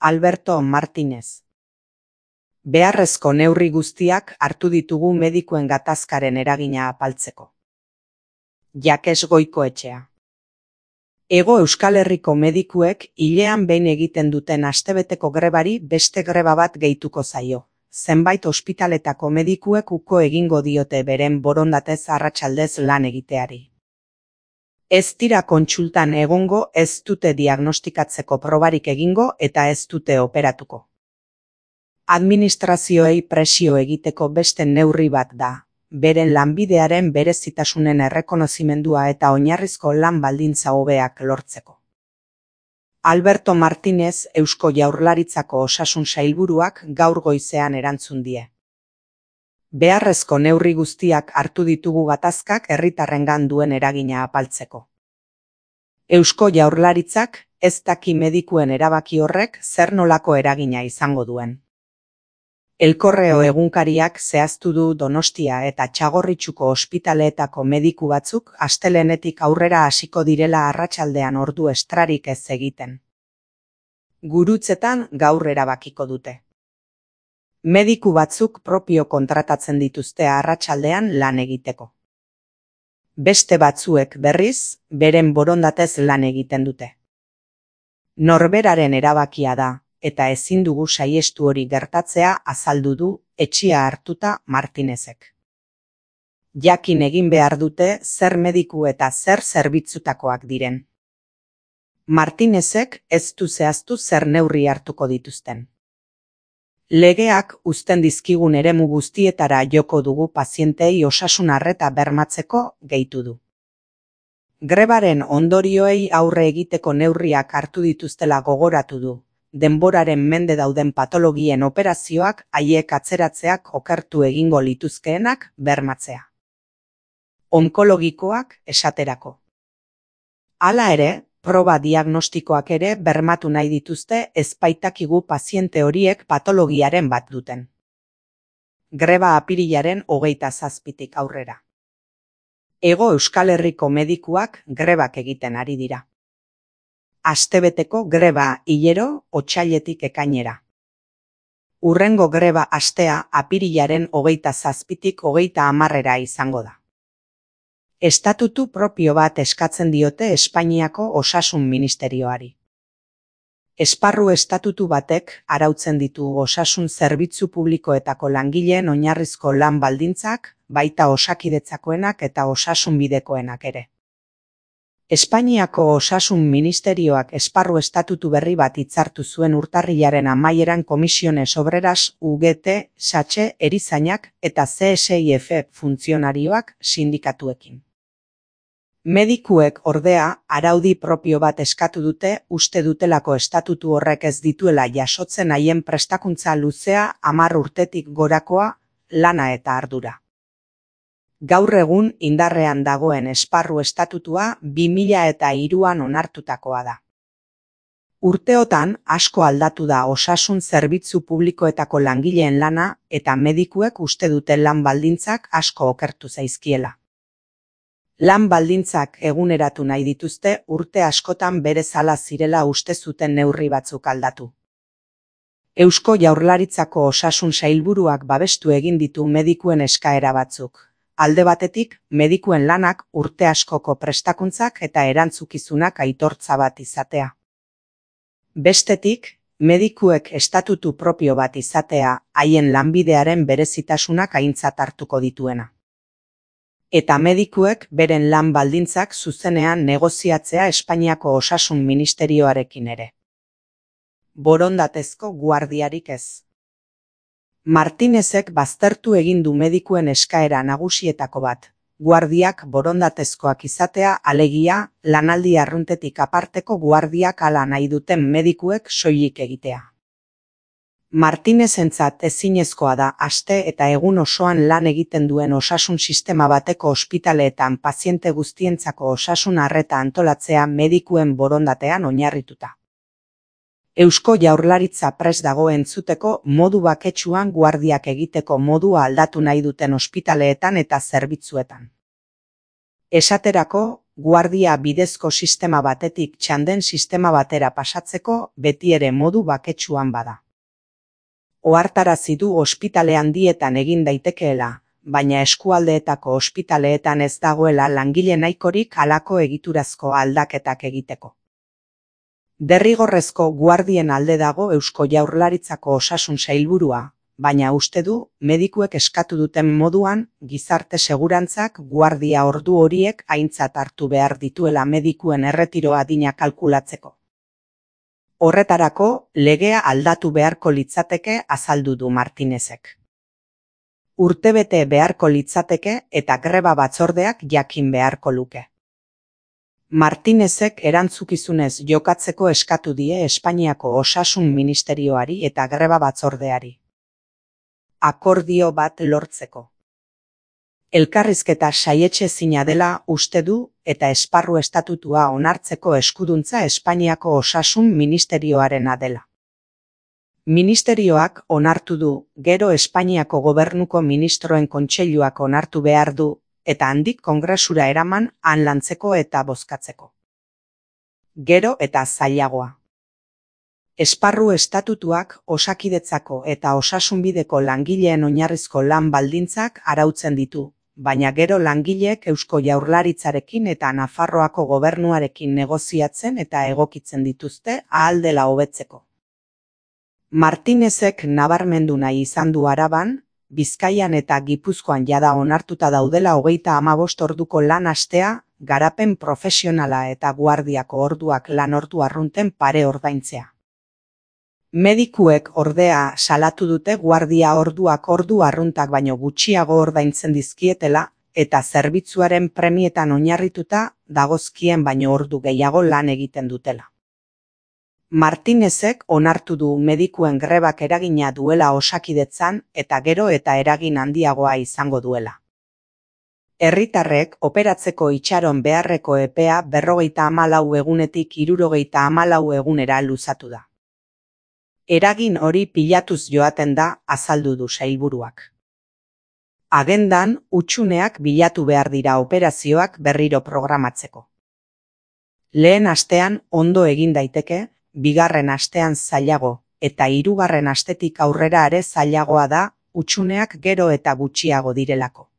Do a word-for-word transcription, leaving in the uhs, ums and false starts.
Alberto Martínez. Beharrezko neurri guztiak hartu ditugu medikuen gatazkaren eragina apaltzeko. Jakes Goikoetxea. Hego Euskal Herriko medikuek hilean behin egiten duten astebeteko grebari beste greba bat gehituko zaio. Zenbait ospitaletako medikuek uko egingo diote beren borondatez arratsaldez lan egiteari. Ez dira kontsultan egongo, ez dute diagnostikatzeko probarik egingo eta ez dute operatuko. Administrazioei presio egiteko beste neurri bat da, beren lanbidearen berezitasunen errekonozimendua eta oinarrizko lan baldintza hobeak lortzeko. Alberto Martínez Eusko Jaurlaritzako Osasun Sailburuak gaur goizean erantzun die. Beharrezko neurri guztiak hartu ditugu gatazkak herritarrengan duen eragina apaltzeko. Eusko Jaurlaritzak ez daki medikuen erabaki horrek zer nolako eragina izango duen. El Correo egunkariak zehaztu du Donostia eta Txagorritxuko ospitaleetako mediku batzuk astelehenetik aurrera hasiko direla arratsaldean ordu estrarik ez egiten. Gurutzetan gaur erabakiko dute. Mediku batzuk propio kontratatzen dituzte arratsaldean lan egiteko. Beste batzuek berriz, beren borondatez lan egiten dute. Norberaren erabakia da, eta ezin dugu saihestu hori gertatzea azaldu du etxea hartuta Martínezek. Jakin egin behar dute zer mediku eta zer zerbitzutakoak diren. Martínezek ez du zehaztu zer neurri hartuko dituzten. Legeak uzten dizkigun eremu guztietara joko dugu pazientei osasun arreta bermatzeko gehitu du. Grebaren ondorioei aurre egiteko neurriak hartu dituztela gogoratu du. Denboraren mende dauden patologien operazioak haiek atzeratzeak okertu egingo lituzkeenak bermatzea. Onkologikoak esaterako. Hala ere, proba diagnostikoak ere bermatu nahi dituzte ez baitakigu paziente horiek patologiaren bat duten. Greba apirilaren hogeita zazpitik aurrera. Hego Euskal Herriko medikuak grebak egiten ari dira. Astebeteko greba hilero otsailetik ekainera. Hurrengo greba astea apirilaren hogeita zazpitik hogeita hamarrera izango da. Estatutu propio bat eskatzen diote Espainiako Osasun Ministerioari. Esparru estatutu batek arautzen ditu osasun zerbitzu publikoetako langileen oinarrizko lan baldintzak, baita osakidetzakoenak eta osasunbidekoenak ere. Espainiako Osasun Ministerioak esparru estatutu berri bat hitzartu zuen urtarrilaren amaieran Komisiones Obreras, U G T, Satxe, Erizainak eta C S I F funtzionarioak sindikatuekin. Medikuek ordea araudi propio bat eskatu dute uste dutelako estatutu horrek ez dituela jasotzen haien prestakuntza luzea hamar urtetik gorakoa, lana eta ardura. Gaur egun indarrean dagoen esparru estatutua bi mila eta hiruan onartutakoa da. Urteotan asko aldatu da osasun zerbitzu publikoetako langileen lana eta medikuek uste dute lan baldintzak asko okertu zaizkiela. Lan baldintzak eguneratu nahi dituzte urte askotan berezala zirela uste zuten neurri batzuk aldatu. Eusko Jaurlaritzako Osasun Sailburuak babestu egin ditu medikuen eskaera batzuk. Alde batetik, medikuen lanak urte askoko prestakuntzak eta erantzukizunak aitortza bat izatea. Bestetik, medikuek estatutu propio bat izatea haien lanbidearen berezitasunak aintzat hartuko dituena. Eta medikuek beren lan baldintzak zuzenean negoziatzea Espainiako Osasun Ministerioarekin ere. Borondatezko guardiarik ez. Martínezek baztertu egin du medikuen eskaera nagusietako bat, guardiak borondatezkoak izatea alegia lanaldi arruntetik aparteko guardiak hala nahi duten medikuek soilik egitea. Martínezentzat ezinezkoa da aste eta egun osoan lan egiten duen osasun sistema bateko ospitaleetan paziente guztientzako osasun arreta antolatzea medikuen borondatean oinarrituta. Eusko Jaurlaritza prest dago entzuteko modu baketsuan guardiak egiteko modua aldatu nahi duten ospitaleetan eta zerbitzuetan. Esaterako, guardia bidezko sistema batetik txanden sistema batera pasatzeko beti ere modu baketsuan bada. Ohartarazi du ospitale handietan egin daitekeela, baina eskualdeetako ospitaleetan ez dagoela langile nahikorik halako egiturazko aldaketak egiteko. Derrigorrezko guardien alde dago Eusko Jaurlaritzako Osasun Sailburua, baina uste du medikuek eskatu duten moduan gizarte segurantzak guardia ordu horiek aintzat hartu behar dituela medikuen erretiro adina kalkulatzeko. Horretarako, legea aldatu beharko litzateke azaldu du Martinezek. Urtebete beharko litzateke eta greba batzordeak jakin beharko luke. Martinezek erantzukizunez jokatzeko eskatu die Espainiako Osasun Ministerioari eta greba batzordeari. Akordio bat lortzeko. Elkarrizketa saietsezina dela uste du eta esparru estatutua onartzeko eskuduntza Espainiako Osasun Ministerioarena dela. Ministerioak onartu du, gero Espainiako Gobernuko Ministroen Kontseiluak onartu behar du, eta handik kongresura eraman han lantzeko eta bozkatzeko. Gero eta zailagoa. Esparru estatutuak Osakidetzako eta Osasunbideko langileen oinarrizko lan baldintzak arautzen ditu, baina gero langileek Eusko Jaurlaritzarekin eta Nafarroako gobernuarekin negoziatzen eta egokitzen dituzte ahal dela hobetzeko. Martinezek nabarmendu nahi izan du Araban, Bizkaian eta Gipuzkoan jada onartuta daudela hogeita hamabost orduko lan astea, garapen profesionala eta guardiako orduak lan ordu arrunten pare ordaintzea. Medikuek ordea salatu dute guardia orduak ordu arruntak baino gutxiago ordaintzen dizkietela eta zerbitzuaren premietan oinarrituta dagozkien baino ordu gehiago lan egiten dutela. Martinezek onartu du medikuen grebak eragina duela Osakidetzan eta gero eta eragin handiagoa izango duela. Herritarrek operatzeko itxaron beharreko epea berrogeita hamalau egunetik hirurogeita hamalau egunera luzatu da. Eragin hori pilatuz joaten da, azaldu du sailburuak. Agendan, hutsuneak bilatu behar dira operazioak berriro programatzeko. Lehen astean ondo egin daiteke, bigarren astean zailago, eta hirugarren astetik aurrera ere zailagoa da, hutsuneak gero eta gutxiago direlako.